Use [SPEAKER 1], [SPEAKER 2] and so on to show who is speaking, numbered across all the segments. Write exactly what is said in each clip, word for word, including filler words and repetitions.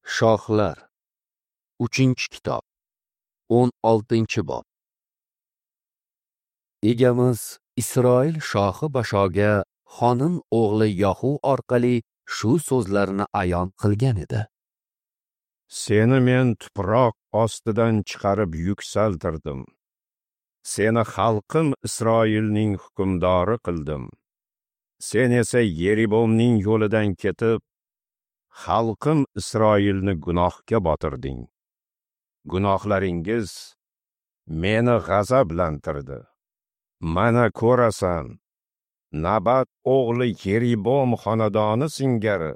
[SPEAKER 1] Shohlar, uchinchi kitob, o'n oltinchi bob. Egamiz Isroil shohi Bashoga Xonim o'g'li Yohu orqali shu so'zlarni ayon qilgan edi.
[SPEAKER 2] Seni men tuproq ostidan chiqarib yuksaltirdim. Seni xalqim Isroilning hukmdori qildim. Sen esa Yeribomning yo'lidan ketib, xalqim Isroilni gunohga botirding. Gunohlaringiz meni g'azablantirdi. Mana ko'rasan, Nabat o'g'li Yeribom xonadoni singari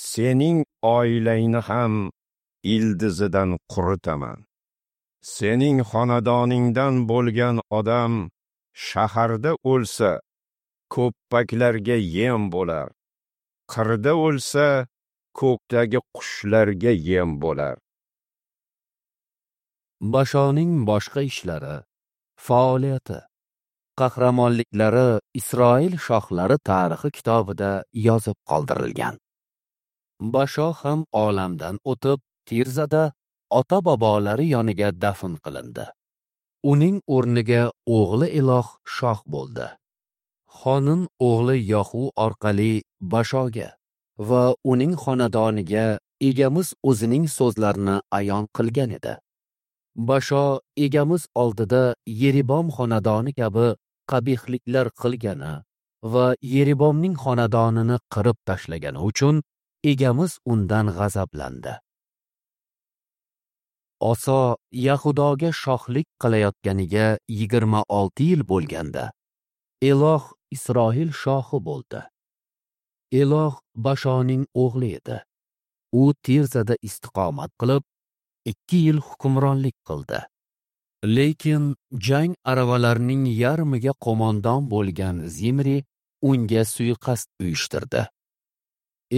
[SPEAKER 2] sening oilangni ham ildizidan quritaman. Sening xonadoningdan bo'lgan odam shaharda o'lsa, ko'ppaklarga yem bo'lar. Qirda o'lsa, ko'kdagi qushlarga yem bo'lar.
[SPEAKER 1] Bashoning boshqa ishlari, faoliyati, qahramonliklari Isroil shohlari tarixi kitobida yozib qoldirilgan. Basho ham olamdan o'tib, Tirzada ota-bobolari yoniga dafn qilindi. Uning o'rniga o'g'li Eloh shoh bo'ldi. Xonim o'g'li Yohu orqali Bashoga va uning xonadoniga egamiz o'zining so'zlarini ayon qilgan edi. Basho egamiz oldida Yeribom xonadoni kabi qabihliklar qilgani va Yeribomning xonadonini qirib tashlagani uchun egamiz undan g'azablandi. Oso Yahudoga shohlik qilayotganiga yigirma olti yil bo'lganda, Eloh Isroil shohi bo'ldi. Eloh Bashoning o'g'li edi. U Tirzada istiqomat qilib, ikki yil hukmronlik qildi. Lekin jang aravalarining yarmiga qo'mondon bo'lgan Zimri unga suiqasd uyushtirdi.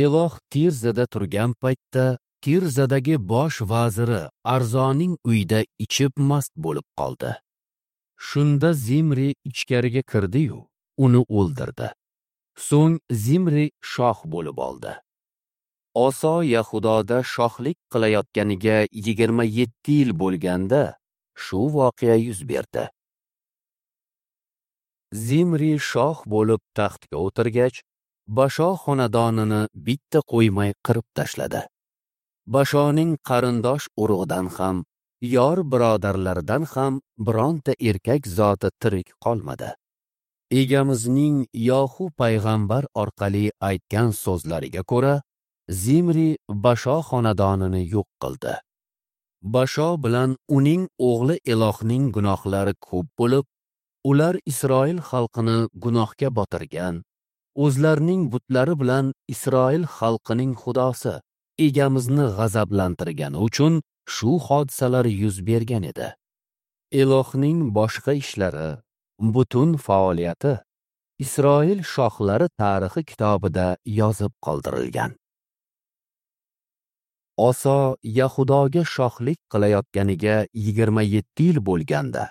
[SPEAKER 1] Eloh Tirzada turgan paytda Tirzadagi bosh vaziri Arzoning uyida ichib mast bo'lib qoldi. Shunda Zimri ichkariga kirdi-yu, uni o'ldirdi. So'ng Zimri shoh bo'lib oldi. Oso Yahudoda shohlik qilayotganiga yigirma yetti yil bo'lganda shu voqea yuz berdi. Zimri shoh bo'lib taxtga o'tirgach, Basho xonadonini bitta qo'ymay qirib tashladi. Bashoning qarindosh urug'idan ham, yor birodarlaridan ham bironta erkak zoti tirik qolmadi. Egamizning Yohu payg'ambar orqali aytgan so'zlariga ko'ra, Zimri Basho xonadonini yo'q qildi. Basho bilan uning o'g'li Elohning gunohlari ko'p bo'lib, ular Isroil xalqini gunohga botirgan, o'zlarining butlari bilan Isroil xalqining xudosi egamizni g'azablantirgani uchun shu hodisalar yuz bergan edi. Elohning boshqa ishlari, butun faoliyati Isroil shohlari tarixi kitobida yozib qoldirilgan. Oso Yahudoga shohlik qilayotganiga yigirma yetti yil bo'lganda,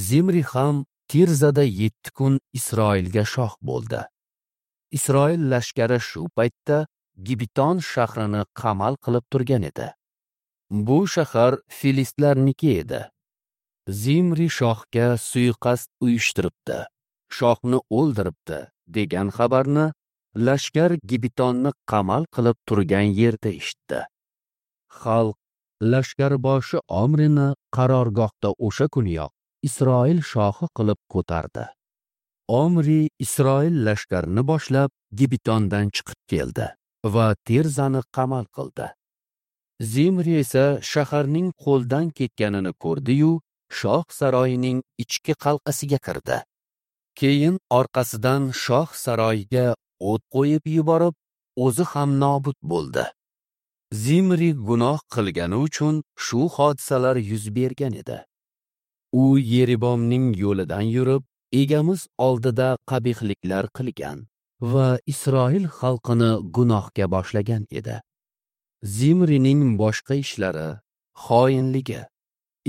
[SPEAKER 1] Zimri ham Tirzada yetti kun Isroilga shoh bo'ldi. Isroil lashkari shu paytda Gibiton shahrini qamal qilib turgan edi. Bu shahar filistlarniki edi. Zimri shohga suiqasd uyushtiribdi, shohni o'ldiribdi degan xabarni lashkar Gibitonni qamal qilib turgan yerda eshitdi. Xalq lashkarboshi Omrini qarorgohda o'sha kuniyoq Isroil shohi qilib ko'tardi. Omri Isroil lashkarini boshlab Gibitondan chiqib keldi va Tirzani qamal qildi. Zimri esa shaharning qo'ldan ketganini ko'rdi-yu, shoh saroyining ichki qal'asiga kirdi. Keyin orqasidan shoh saroyiga o't qo'yib yuborib, o'zi ham nobud bo'ldi. Zimri gunoh qilgani uchun shu hodisalar yuz bergan edi. U Yeribomning yo'lidan yurib, egamiz oldida qabihliklar qilgan va Isroil xalqini gunohga boshlagan edi. Zimrining boshqa ishlari, xoinligi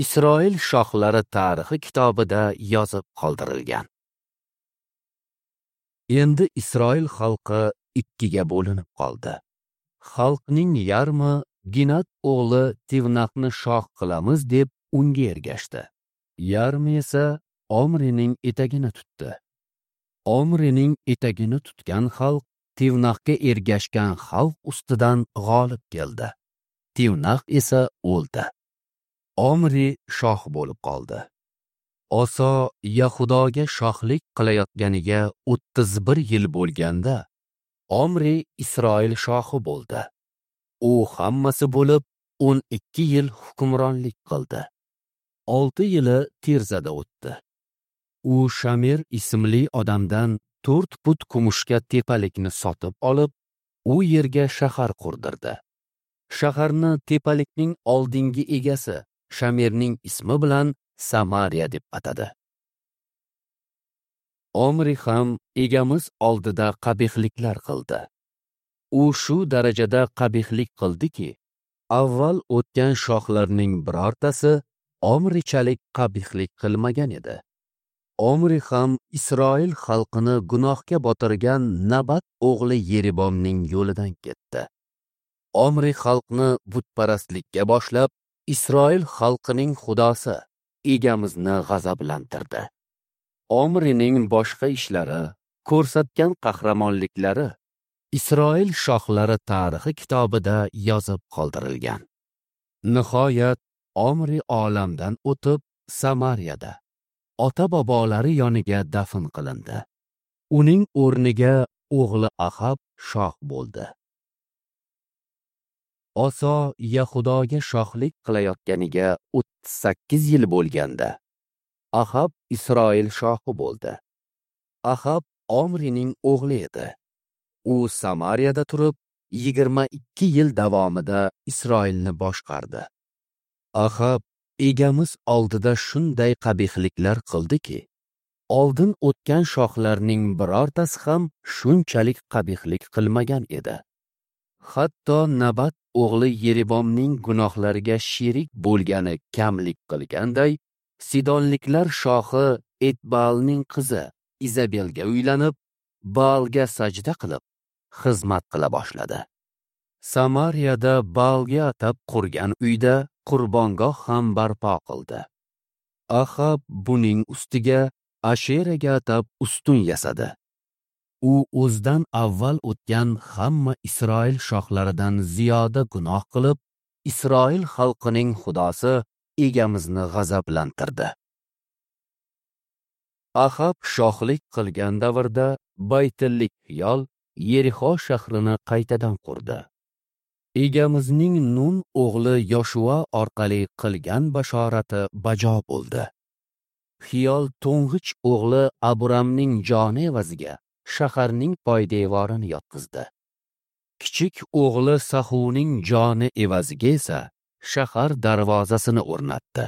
[SPEAKER 1] Isroil shohlari tarixi kitobida yozib qoldirilgan. Endi Isroil xalqi ikkiga bo'linib qoldi. Xalqning yarmi Ginat o'g'li Tivnaqni shoh qilamiz deb unga ergashdi. Yarmi esa Omrining etagini tutdi. Omrining etagini tutgan xalq Tivnaqga ergashgan xalq ustidan g'olib keldi. Tivnaq esa o'ldi. Omri shoh bo'lib qoldi. Oso Yahudoga shohlik qilayotganiga o'ttiz bir yil bo'lganda Omri Isroil shohi bo'ldi. U hammasi bo'lib o'n ikki yil hukmronlik qildi. Olti yili Tirzada o'tdi. U Shamir ismli odamdan to'rt put kumushga tepalikni sotib olib, u yerga shahar qurdirdi. Shaharni tepalikning oldingi egasi Shamirning ismi bilan Samariya deb atadi. Omri ham egamiz oldida qabihliklar qildi. U shu darajada qabihlik qildiki, avval o'tgan shohlarning birortasi Omrichalik qabihlik qilmagan edi. Omri ham Isroil xalqini gunohga botirgan Nabat o'g'li Yeribomning yo'lidan ketdi. Omri xalqni butparastlikka boshlab, Isroil xalqining xudosi egamizni g'azablantirdi. Omrining boshqa ishlari, ko'rsatgan qahramonliklari Isroil shohlari tarixi kitobida yozib qoldirilgan. Nihoyat Omri olamdan o'tib Samariyada ota-bobolari yoniga dafn qilindi. Uning o'rniga o'g'li Ahab shoh bo'ldi. Oso Yahudoga shohlik qilayotganiga o'ttiz sakkiz yil bo'lganda Ahab Isroil shohi bo'ldi. Ahab Omrining o'g'li edi. U Samariyada turib yigirma ikki yil davomida Isroilni boshqardi. Ahab egamiz oldida shunday qabihliklar qildiki, oldin o'tgan shohlarning birortasi ham shunchalik qabihlik qilmagan edi. Hatto Nabat o'g'li Yeribomning gunohlariga sherik bo'lgani kamlik qilganday, Sidonliklar shohi Etbaalning qizi Izabelga uylanib, Baalga sajda qilib, xizmat qila boshladi. Samariyada Baalga atab qurgan uyda qurbongoh ham barpo qildi. Ahab buning ustiga Asheraga atab ustun yasadi. U o'zidan avval o'tgan hamma Isroil shohlaridan ziyoda gunoh qilib, Isroil xalqining xudosi egamizni g'azablantirdi. Ahab shohlik qilgan davrda Baytillik Xiyol Yerixo shahrini qaytadan qurdi. Egamizning Nun o'g'li Yoshua orqali qilgan bashorati bajo bo'ldi. Xiyol to'ng'ich o'g'li Aburamning joni evaziga shaharning poydevorini yotqizdi. Kichik o'g'li Sahuning joni evaziga esa shahar darvozasini o'rnatdi.